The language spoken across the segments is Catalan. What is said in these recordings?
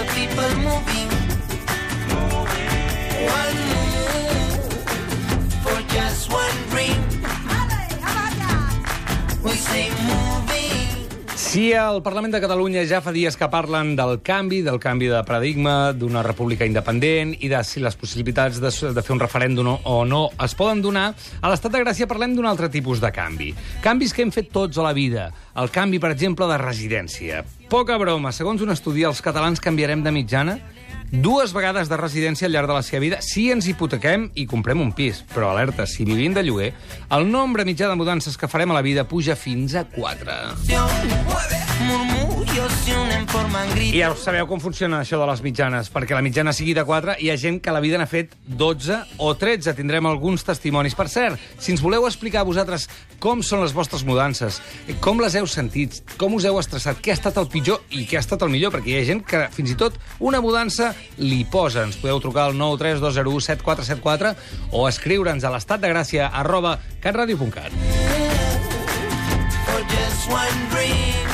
the people moving. One move for just one dream. We say moving. Si al Parlament de Catalunya ja fa dies que parlen del canvi de paradigma, d'una república independent i de si les possibilitats de fer un referèndum o no es poden donar, a l'Estat de Gràcia parlem d'un altre tipus de canvi. Canvis que hem fet tots a la vida. El canvi, per exemple, de residència. Poca broma. Segons un estudi, els catalans canviarem de mitjana 2 vegades de residència al llarg de la seva vida si ens hipotequem i comprem un pis. Però alerta, si vivim de lloguer, el nombre mitjà de mudances que farem a la vida puja fins a 4. I ja sabeu com funciona això de les mitjanes, perquè la mitjana sigui de 4, hi ha gent que a la vida n'ha fet 12 o 13. Tindrem alguns testimonis. Per cert, si ens voleu explicar a vosaltres com són les vostres mudances, com les heu sentit, com us heu estressat, què ha estat el pitjor i què ha estat el millor, perquè hi ha gent que fins i tot una mudança li posa. Ens podeu trucar al 932017474 o escriure'ns a lestatdegràcia@catradio.cat.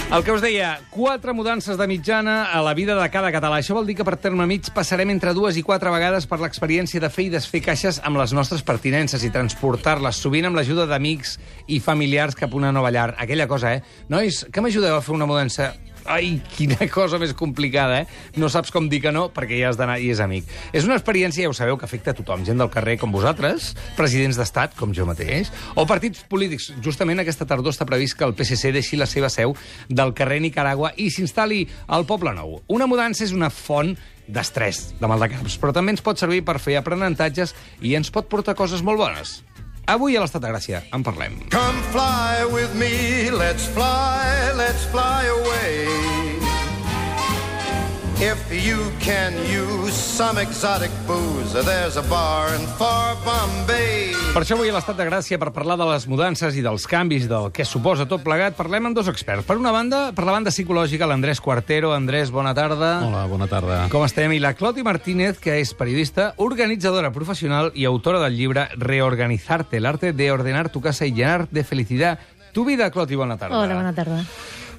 El que us deia, 4 mudances de mitjana a la vida de cada català. Això vol dir que per terme mig passarem entre 2 i 4 vegades per l'experiència de fer i desfer caixes amb les nostres pertinences i transportar-les, sovint amb l'ajuda d'amics i familiars cap a una nova llar. Aquella cosa, Nois, que m'ajudeu a fer una mudança? Ai, quina cosa més complicada, No saps com dir que no, perquè ja has d'anar i és amic. És una experiència, ja ho sabeu, que afecta a tothom. Gent del carrer com vosaltres, presidents d'estat, com jo mateix, o partits polítics. Justament aquesta tardor està previst que el PSC deixi la seva seu del carrer Nicaragua i s'instal·li al Poble Nou. Una mudança és una font d'estrès, de maldecaps, però també ens pot servir per fer aprenentatges i ens pot portar coses molt bones. Avui a l'Estat de Gràcia en parlem. Come fly with me, let's fly away. If you can use some exotic booze, there's a bar in far Bombay. Per això avui a l'Estat de Gràcia, per parlar de les mudances i dels canvis, del que suposa tot plegat, parlem amb 2 experts. Per una banda, per la banda psicològica, l'Andrés Cuartero. Andrés, bona tarda. Hola, bona tarda. Com estem? I la Cloti Martínez, que és periodista, organitzadora professional i autora del llibre Reorganizarte, el arte de ordenar tu casa y llenar de felicidad tu vida. Cloti, bona tarda. Hola, bona tarda.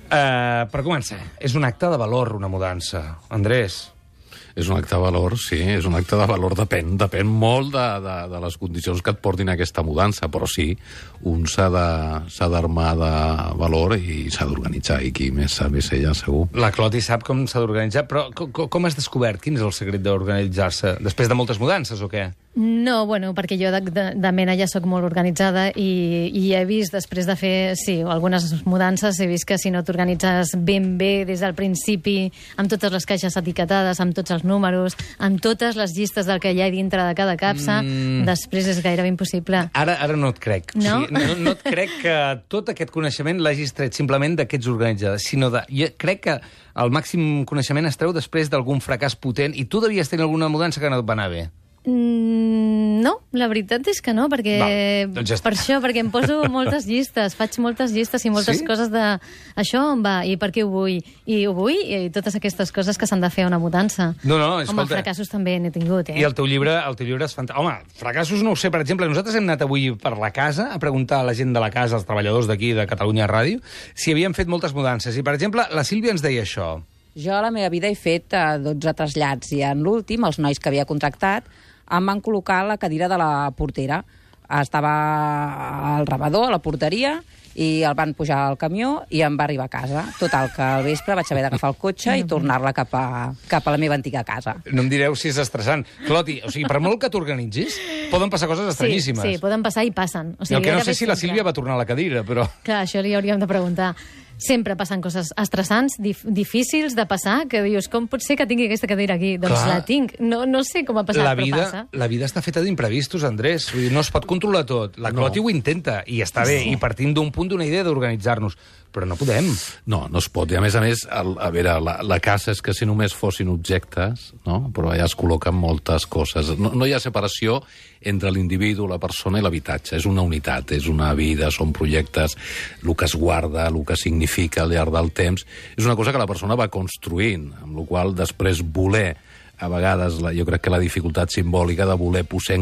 Per començar, és un acte de valor, una mudança. Andrés. És un acte de valor, sí, és un acte de valor, depèn molt de les condicions que et portin a aquesta mudança, però sí, un s'ha d'armar de valor i s'ha d'organitzar, i qui més sap és ella, segur. La Cloti sap com s'ha d'organitzar, però com has descobert? Quin és el secret d'organitzar-se? Després de moltes mudances o què? No, bueno, perquè jo de mena ja sóc molt organitzada i he vist, després de fer, sí, algunes mudances, he vist que si no t'organitzes ben bé des del principi, amb totes les caixes etiquetades, amb tots els números, amb totes les llistes del que hi ha dintre de cada capsa, després és gairebé impossible. Ara no et crec. No? O sigui, no et crec que tot aquest coneixement l'hagis tret simplement d'aquests organitzadors, sinó jo crec que el màxim coneixement es treu després d'algun fracàs potent i tu devies tenir alguna mudança que no et va anar bé. No, la veritat és que no, perquè doncs ja està. per això, perquè em poso moltes llistes, faig moltes llistes i moltes coses de això on va, i per què ho vull, i totes aquestes coses que s'han de fer a una mudança. No, escolta. Home, fracassos també n'he tingut, I el teu llibre és fantàstic. Home, fracassos no ho sé, per exemple, nosaltres hem anat avui per la casa a preguntar a la gent de la casa, als treballadors d'aquí, de Catalunya Ràdio, si havien fet moltes mudances. I, per exemple, la Sílvia ens deia això. Jo a la meva vida he fet 12 trasllats i en l'últim, els nois que havia contractat em van col·locar la cadira de la portera. Estava al rebedor, a la porteria, i el van pujar al camió i em va arribar a casa. Total, que al vespre vaig haver d'agafar el cotxe i tornar-la cap a la meva antiga casa. No em direu si és estressant. Cloti, o sigui, per molt que t'organitzis, poden passar coses estranyíssimes. Sí, poden passar i passen. O sigui, el que no sé si la Sílvia va tornar a la cadira, però... Clar, això li hauríem de preguntar. Sempre passen coses estressants, difícils de passar, que dius, com pot ser que tingui aquesta cadira aquí? Doncs la tinc. No sé com ha passat, però passa. La vida està feta d'imprevistos, Andrés. Vull dir, no es pot controlar tot. La Cloti ho intenta, i està bé, i partim d'un punt, d'una idea d'organitzar-nos. Però no podem. No es pot. I a més, a veure, la casa és que si només fossin objectes, no? Però allà es col·loquen moltes coses. No hi ha separació entre l'individu, la persona i l'habitatge. És una unitat, és una vida, són projectes, el que es guarda, el que significa al llarg del temps. És una cosa que la persona va construint, amb la qual després voler a vegades jo crec que la dificultat simbòlica de voler posar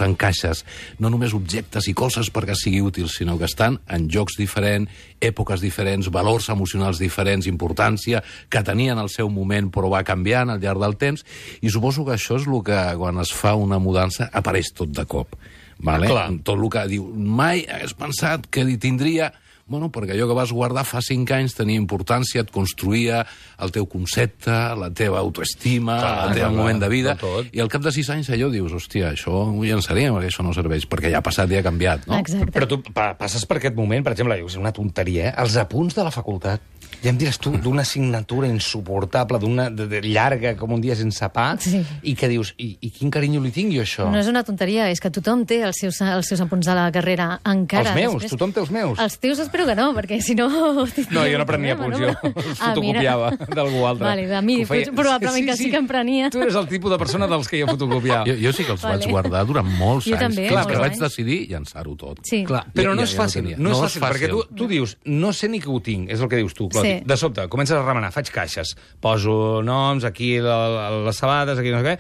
en caixes no només objectes i coses perquè sigui útil, sinó que estan en llocs diferents, èpoques diferents, valors emocionals diferents, importància que tenien al seu moment però va canviant al llarg del temps, i suposo que això és el que quan es fa una mudança apareix tot de cop. Vale? Tot el que diu, mai hagués pensat que tindria... Bueno, perquè allò que vas guardar fa 5 anys tenia importància, et construïa el teu concepte, la teva autoestima, el teu moment de vida, i al cap de 6 anys allò dius, hòstia, això ho llançaria, perquè això no serveix, perquè ja ha passat i ha canviat, no? Exacte. Però tu passes per aquest moment, per exemple, és una tonteria, els apunts de la facultat, ja em diràs tu, d'una assignatura insuportable, d'una llarga, com un dia sense pa, i que dius, i quin carinyo li tinc jo, això? No és una tonteria, és que tothom té els seus apunts de la carrera, encara. Els meus, tothom té els meus. Els teus espero que no, perquè si no... No, jo no prenia apunts, jo els fotocopiava d'algú altre. Vale, a mi probablement que sí que em prenia. Tu eres el tipus de persona dels que jo fotocopiava. Jo sí que els vaig guardar durant molts anys. també, Fins que vaig decidir llançar-ho tot. Sí. Clar, però no és fàcil, no és fàcil, perquè tu dius, no sé ni que ho tinc, és el que dius tu, Cloti. De sobte, comences a remenar, faig caixes, poso noms, aquí les sabades, aquí no sé què,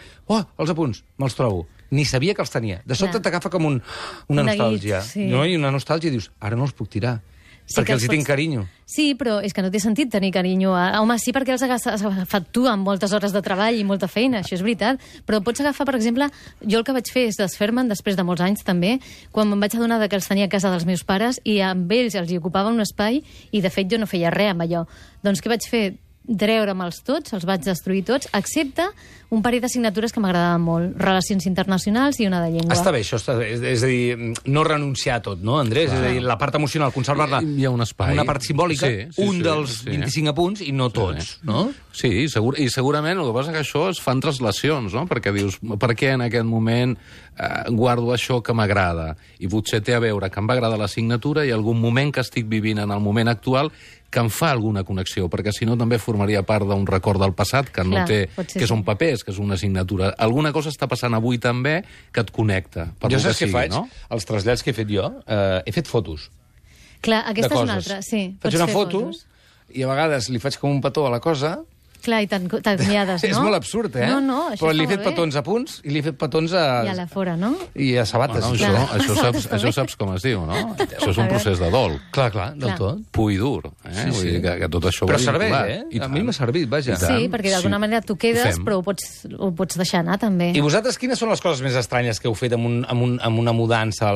els apunts, me'ls trobo. Ni sabia que els tenia. De sobte t'agafa com una nostàlgia. No? I una nostàlgia i dius, ara no els puc tirar. Sí, perquè els hi tinc carinyo. Sí, però és que no té sentit tenir carinyo. Home, sí, perquè els has agafat tu amb moltes hores de treball i molta feina, això és veritat. Però pots agafar, per exemple, jo el que vaig fer és desfer-me'n després de molts anys, també, quan me'n vaig adonar que els tenia a casa dels meus pares i amb ells els hi ocupava un espai i, de fet, jo no feia res amb allò. Doncs què vaig fer? Treure-me'ls tots, els vaig destruir tots, excepte un parell d'assignatures que m'agradaven molt, relacions internacionals i una de llengua. Està bé, això està bé. És a dir, no renunciar a tot, no, Andrés? És a dir, la part emocional, conservar-la. Hi ha un espai. Una part simbòlica, dels 25 apunts i no tots, no? Sí, i segurament el que passa que això es fan translacions, no? Perquè dius, per què en aquest moment guardo això que m'agrada? I potser té a veure que em va agradar l'assignatura i algun moment que estic vivint en el moment actual que em fa alguna connexió, perquè si no també formaria part d'un record del passat que no té, que són papers, que és una assignatura. Alguna cosa està passant avui també que et connecta. Jo saps què faig? Els trasllats que he fet jo, he fet fotos. Clar, aquesta és una altra, sí. Faig una foto i a vegades li faig com un petó a la cosa. Clar, i t'enviades, no? És molt absurd, eh? No, això però li he fet petons a punts i li he fet petons a... I a la fora, no? I a sabates. Bueno, això saps com es diu, no? Això és un procés de dol. Clar, del tot. Pur i dur. Vull dir que tot això... Però serveix, eh? A mi m'ha servit, vaja. Sí, perquè d'alguna manera tu quedes, però ho pots deixar anar, també. I vosaltres, quines són les coses més estranyes que heu fet amb una mudança?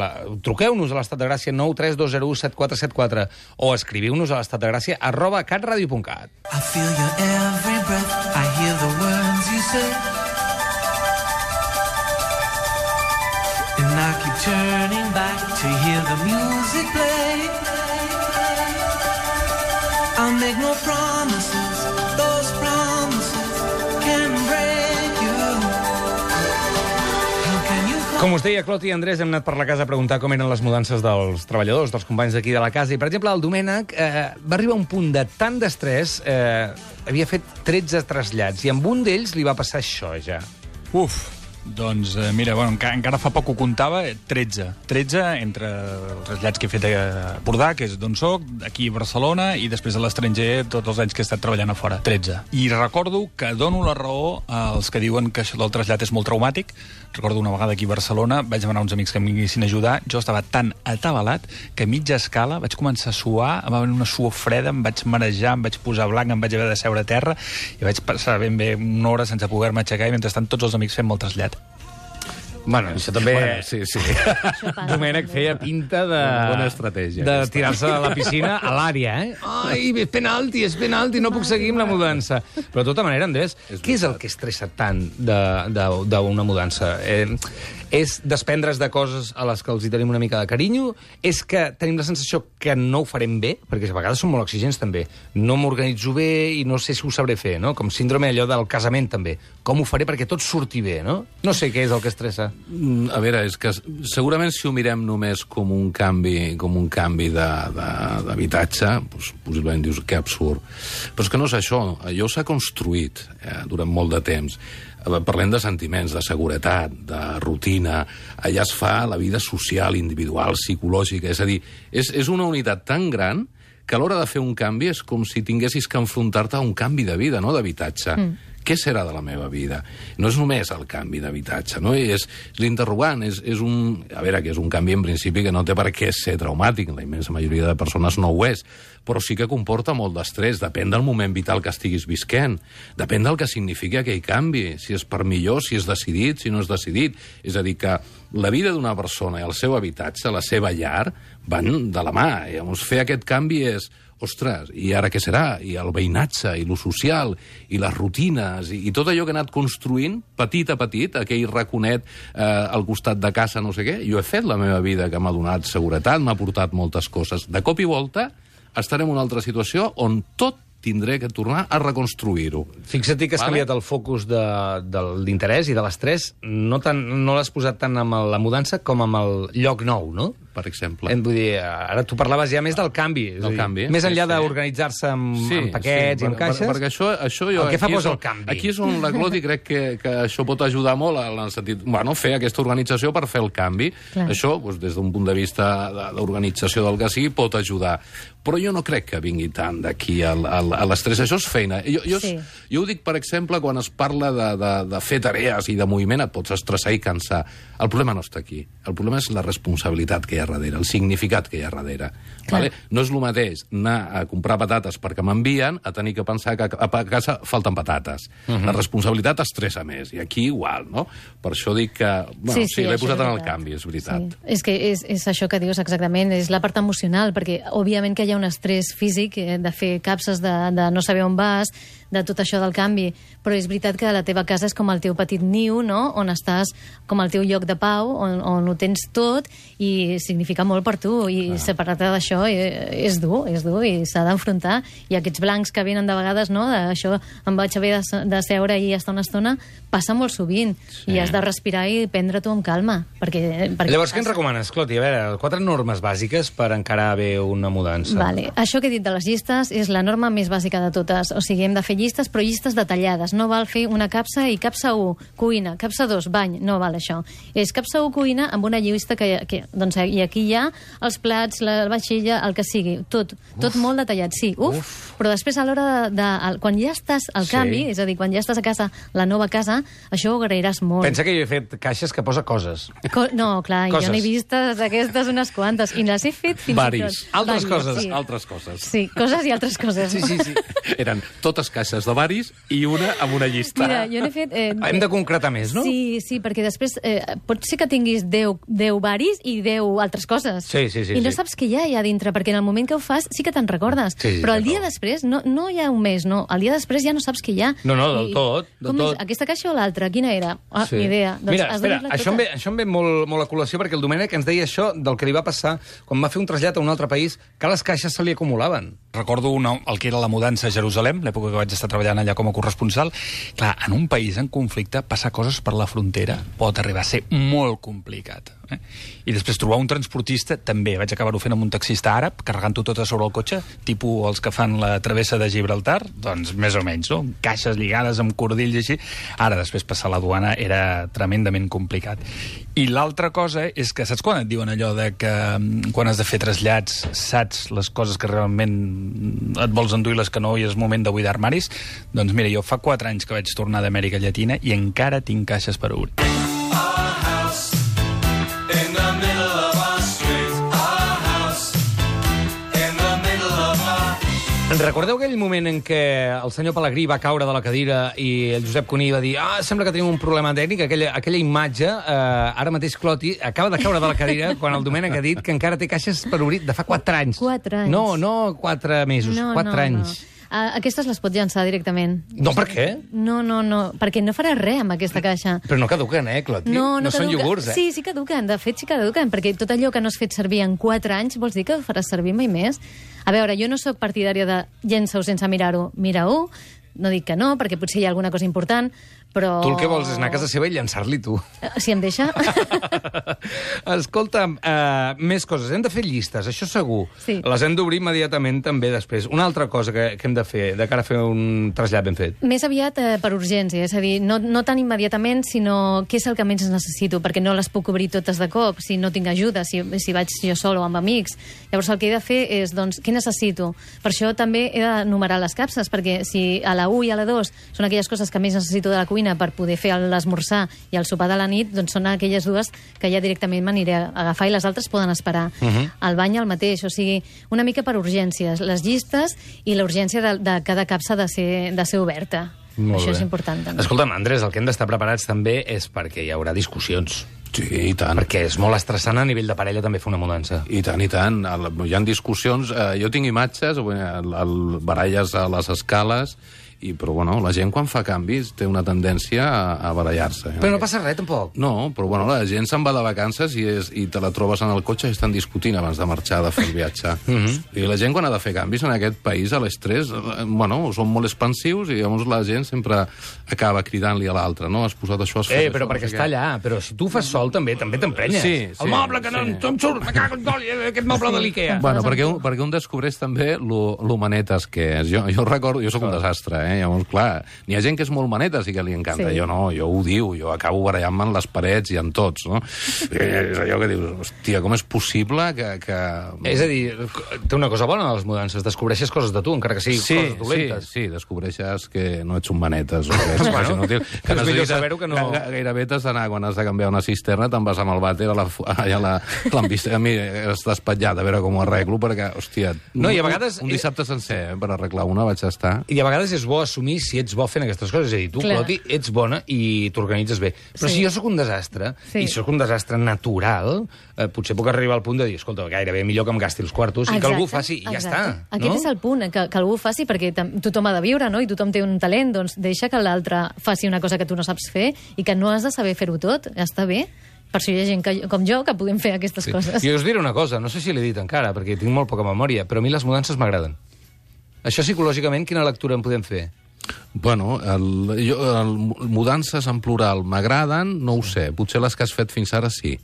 Truqueu-nos a l'Estat de Gràcia 932017474 o escriviu-nos a l'estatdegràcia@catradio.cat. I feel your every breath, I hear the words you say, and I keep turning back to hear the music play. I'll make no promises, those promises can break you. How can you Com us deia, Cloti i Andrés, hem anat per la casa a preguntar com eren les mudances dels treballadors, dels companys d'aquí de la casa. I, per exemple, el Domènec va arribar a un punt de tant d'estrès, havia fet 13 trasllats, i amb un d'ells li va passar això, ja. Doncs, mira, bueno, encara fa poc ho comptava, 13 entre els trasllats que he fet a Bordà, que és d'on soc, aquí a Barcelona, i després a l'estranger tots els anys que he estat treballant a fora, 13. I recordo que dono la raó als que diuen que això del trasllat és molt traumàtic. Recordo una vegada aquí a Barcelona, vaig demanar uns amics que em vinguessin a ajudar, jo estava tan atabalat que a mitja escala vaig començar a suar, em va venir una suor freda, em vaig marejar, em vaig posar blanc, em vaig haver de seure a terra, i vaig passar ben bé una hora sense poder-me aixecar, i mentrestant tots els amics fent el trasllat. Bueno, això també... Sí. Domènec feia pinta de... Bona estratègia. De tirar-se a la piscina a l'àrea, eh? Ai, és penalti, no puc seguir amb la mudança. Però de tota manera, Andrés, què és el que estressa tant d'una mudança? És desprendre's de coses a les que els hi tenim una mica de carinyo? És que tenim la sensació que no ho farem bé? Perquè a vegades som molt exigents, també. No m'organitzo bé i no sé si ho sabré fer, no? Com síndrome allò del casament, també. Com ho faré perquè tot surti bé, no? No sé què és el que estressa. A veure, és que segurament si ho mirem només com un canvi d'habitatge, doncs, possiblement dius que absurd. Però és que no és això. Allò s'ha construït durant molt de temps. Parlem de sentiments, de seguretat, de rutina. Allà es fa la vida social, individual, psicològica. És a dir, és una unitat tan gran que a l'hora de fer un canvi és com si tinguessis que enfrontar-te a un canvi de vida, no d'habitatge. què serà de la meva vida? No és només el canvi d'habitatge, no? És l'interrogant, és un... A veure, que és un canvi en principi que no té per què ser traumàtic, la immensa majoria de persones no ho és, però sí que comporta molt d'estrès, depèn del moment vital que estiguis visquent, depèn del que significa aquell canvi, si és per millor, si és decidit, si no és decidit. És a dir, que la vida d'una persona i el seu habitatge, la seva llar, van de la mà. Llavors, fer aquest canvi és... Ostres, i ara què serà? I el veïnatge, i lo social, i les rutines, i tot allò que he anat construint, petit a petit, aquell raconet al costat de casa, no sé què. Jo he fet la meva vida que m'ha donat seguretat, m'ha portat moltes coses. De cop i volta estarem en una altra situació on tot tindré que tornar a reconstruir-ho. Fixa't que has canviat el focus de l'interès i de l'estrès, no l'has posat tant amb la mudança com amb el lloc nou, no? Per exemple. Vull dir, ara tu parlaves ja més del canvi. Del canvi. Més enllà d'organitzar-se amb paquets i amb caixes. Perquè això jo... El que fa és el canvi. Aquí és on la Cloti crec que això pot ajudar molt en el sentit... Bueno, fer aquesta organització per fer el canvi. Clar. Això, doncs, des d'un punt de vista d'organització del que sigui, pot ajudar. Però jo no crec que vingui tant d'aquí a l'estrès. Això és feina. Jo ho dic, per exemple, quan es parla de fer tarees i de moviment, et pots estressar i cansar. El problema no està aquí. El problema és la responsabilitat que hi ha darrere, el significat que hi ha darrere. Vale? No és el mateix anar a comprar patates perquè m'envien a tenir que pensar que a casa falten patates. La responsabilitat estressa més, i aquí igual, no? Per això dic que... Bueno, sí, l'he posat en el canvi, és veritat. Sí. És que és això que dius exactament, és la part emocional, perquè òbviament que hi ha un estrès físic de fer capses, de no saber on vas, de tot això del canvi, però és veritat que la teva casa és com el teu petit niu, no? On estàs com el teu lloc de pau, on ho tens tot, i significa molt per tu, i separar-te d'això és dur, i s'ha d'enfrontar, i aquests blancs que venen de vegades, no? Això em vaig haver de seure i estar una estona, passa molt sovint, i has de respirar i prendre-t'ho amb calma, perquè llavors, què ens recomanes, Cloti? A veure, 4 normes bàsiques per encarar bé una mudança. Vale. Això que he dit de les llistes és la norma més bàsica de totes, o sigui, hem de fer llistes, però llistes detallades. No val fer una capsa i capsa 1, cuina, capsa 2, bany, no val això. És capsa 1, cuina, amb una llista doncs, i aquí hi ha els plats, la vaixella, el que sigui, tot molt detallat, sí. Però després a l'hora quan ja estàs al canvi, és a dir, quan ja estàs a casa, la nova casa, això ho agrairàs molt. Pensa que jo he fet caixes que posa coses. No, clar, jo n'he vist aquestes unes quantes, i les he fet fins i tot. Altres coses. Altres coses. Sí, coses i altres coses. Sí. Eren totes caixes de varis i una amb una llista. Mira, jo n'he fet... Hem de concretar més, no? Sí, perquè després pot ser que tinguis 10 varis i 10 altres coses. Sí. I no saps què hi ha allà dintre, perquè en el moment que ho fas sí que te'n recordes. Però el dia després, no hi ha un mes, no. El dia després ja no saps què hi ha. No, del tot. Com és? Aquesta caixa o l'altra? Quina era? Ni idea. Mira, espera, això em ve molt a col·lació, perquè el Domènec ens deia això del que li va passar quan va fer un trasllat a un altre país, que les caixes se li acumulaven. Recordo el que era la mudança a Jerusalem, l'època que vaig estar treballant allà com a corresponsal. Clar, en un país en conflicte, passar coses per la frontera pot arribar a ser molt complicat. I després trobar un transportista, també. Vaig acabar-ho fent amb un taxista àrab, carregant-ho tot a sobre el cotxe, tipus els que fan la travessa de Gibraltar, doncs més o menys, no? Caixes lligades amb cordills i així. Ara, després passar la duana era tremendament complicat. I l'altra cosa és que, saps quan et diuen allò de que quan has de fer trasllats saps les coses que realment et vols endur i les que no, i és moment de buidar armaris? Doncs mira, jo fa 4 anys que vaig tornar d'Amèrica Llatina i encara tinc caixes per obrir. Recordeu aquell moment en què el senyor Pelegrí va caure de la cadira i el Josep Cuní va dir sembla que tenim un problema tècnic? Aquella imatge, ara mateix Cloti acaba de caure de la cadira quan el Domènec ha dit que encara té caixes per obrir de fa 4 anys. 4 anys. No 4 mesos, 4 anys. Aquestes les pots llançar directament. No, per què? No, perquè no faràs res amb aquesta caixa. Però no caduquen, Cloti? No són iogurts, Sí, caduquen. De fet, sí caduquen, perquè tot allò que no has fet servir en 4 anys vols dir que ho faràs servir mai més. A veure, jo no sóc partidària de llença-ho sense mirar-ho. Mira-ho, no dic que no, perquè potser hi ha alguna cosa important, però... Tu el que vols és anar a casa seva i llançar-li tu. Si em deixa? Escolta'm, més coses. Hem de fer llistes, això segur. Sí. Les hem d'obrir immediatament també després. Una altra cosa que hem de fer, de cara a fer un trasllat ben fet. Més aviat per urgència, és a dir, no tan immediatament, sinó què és el que menys necessito, perquè no les puc obrir totes de cop, si no tinc ajuda, si vaig jo sol o amb amics. Llavors el que he de fer és, doncs, què necessito? Per això també he de numerar les capses, perquè si a la 1 i a la 2 són aquelles coses que més necessito de la cuina per poder fer l'esmorzar i el sopar de la nit, doncs són aquelles dues que ja directament m'aniré a agafar i les altres poden esperar. El bany el mateix, o sigui, una mica per urgències, les llistes i la urgència de cada capsa de ser oberta. Molt Això bé. és important, també. Escolta'm, Andrés, el que hem d'estar preparats també és perquè hi haurà discussions. Sí, i tant. Perquè és molt estressant a nivell de parella també fer una mudança. I tant, i tant. Hi ha discussions. Jo tinc imatges, baralles a les escales, però bueno, la gent quan fa canvis té una tendència a barallar-se. Però no passa res, tampoc. No, però bueno, la gent se'n va de vacances i te la trobes en el cotxe i estan discutint abans de marxar, de fer el viatge. I la gent quan ha de fer canvis en aquest país, a l'estrès, bueno, són molt expansius i llavors la gent sempre acaba cridant-li a l'altre, no? Has posat això, has fet Però això, perquè no sé està què. allà. Però si tu fas sol, també t'emprenyes. Sí, El moble que no em surt, me cago en tot, aquest moble de l'Ikea. Bueno, perquè un descobreix també lo manetes que és. Jo recordo, jo sóc un desastre, Llavors, clar, n'hi ha gent que és molt manetes i que li encanta. Sí. Jo no, jo ho diu, jo acabo barallant-me en les parets i en tots, no? És allò que dius, hòstia, com és possible que... És a dir, té una cosa bona de les mudances, descobreixes coses de tu, encara que siguin coses dolentes. Sí, descobreixes que no ets un manetes o que ets quasi inútil. Que és millor saber-ho que no... Gairebé t'has d'anar, quan has de canviar una cisterna, te'n vas amb el vàter allà a mi has despatllat a veure com ho arreglo, perquè, hòstia, No, i a vegades... un dissabte sencer per arreglar una vaig estar... I a vegades és bo assumir si ets bo fent aquestes coses. És a dir, tu, Clar. Cloti, ets bona i t'organitzes bé. Però Sí. si jo sóc un desastre, Sí. i sóc un desastre natural, potser puc arribar al punt de dir, escolta, gairebé millor que em gasti els quartos i que algú ho faci i ja està. Aquest és el punt, que algú ho faci, perquè tothom ha de viure, no? I tothom té un talent, doncs deixa que l'altre faci una cosa que tu no saps fer i que no has de saber fer-ho tot. Està bé. Per això hi ha gent com jo que podem fer aquestes coses. I us diré una cosa, no sé si l'he dit encara, perquè tinc molt poca memòria, però a mi les mudances m'agraden. Això psicològicament, quina lectura en podem fer? Bueno, mudances en plural m'agraden, no ho sé. Potser les que has fet fins ara sí.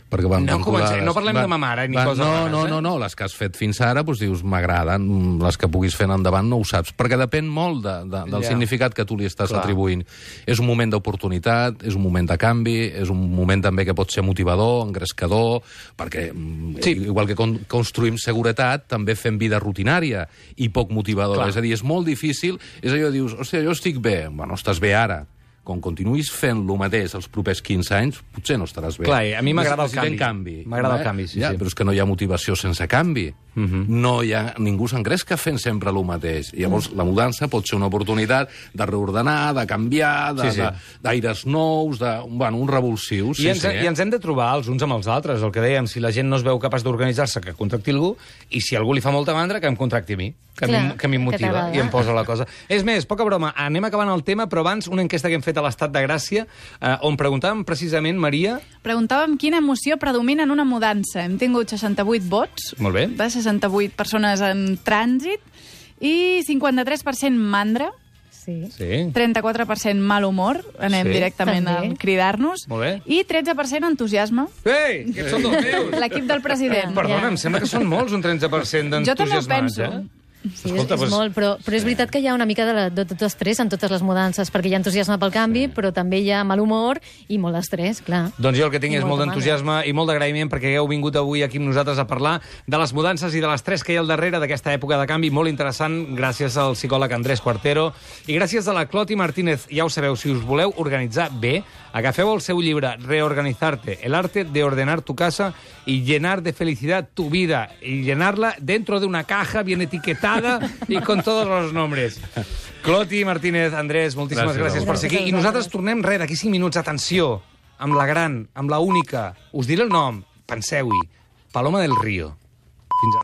Perquè van No vinculades. comencem, no parlem de ma mare ni coses rares, No, les que has fet fins ara, doncs dius, m'agraden, les que puguis fer endavant no ho saps, perquè depèn molt del significat que tu li estàs atribuint. És un moment d'oportunitat, és un moment de canvi, és un moment també que pot ser motivador, engrescador, perquè igual que construïm seguretat, també fem vida rutinària i poc motivadora. És a dir, és molt difícil, és allò, dius, hòstia, jo estic bé. Bueno, estàs bé ara. Com continuïs fent el mateix els propers 15 anys, potser no estaràs bé. Clar, a mi m'agrada el Necessitem canvi. M'agrada el canvi, sí. Però és que no hi ha motivació sense canvi. Ningú s'engresca fent sempre el mateix. Llavors, la mudança pot ser una oportunitat de reordenar, de canviar, d'aires nous, un revulsiu. I ens hem de trobar els uns amb els altres. El que dèiem, si la gent no es veu capaç d'organitzar-se, que contracti algú, i si algú li fa molta mandra, que em contracti a mi, que a mi em motiva i em posa la cosa. És més, poca broma, anem acabant el tema, però abans una enquesta que hem fet a l'Estat de Gràcia, on preguntàvem precisament, Maria... Preguntàvem quina emoció predomina en una mudança. Hem tingut 68 vots, Molt bé. de 68 persones en trànsit, i 53% mandra, Sí. Sí. 34% mal humor, anem Sí. directament També. a cridar-nos, Molt bé. i 13% entusiasme. Ei, aquests són dels meus! L'equip del president. Perdona, em sembla que són molts, un 30% Jo també ho d'entusiasmats, penso. Sí, Escolta, és doncs- molt, però és veritat que hi ha una mica de tot estrès en totes les mudances, perquè hi ha entusiasme pel canvi, però també hi ha mal humor i molt estrès, clar. Doncs jo el que tinc I és molt molta d'entusiasme i molt d'agraïment perquè heu vingut avui aquí amb nosaltres a parlar de les mudances i de l'estrès que hi ha al darrere d'aquesta època de canvi molt interessant, gràcies al psicòleg Andrés Cuartero i gràcies a la Cloti Martínez. Ja ho sabeu, si us voleu organitzar bé, agafeu el seu llibre Reorganizarte, el arte de ordenar tu casa y llenar de felicidad tu vida y llenarla dentro de una caja bien etiquetada y con todos los nombres. Cloti Martínez, Andrés, moltíssimes gràcies per ser aquí. I nosaltres tornem, d'aquí 5 minuts. Atenció, amb la gran, amb la única. Us diré el nom, penseu-hi. Paloma del Río.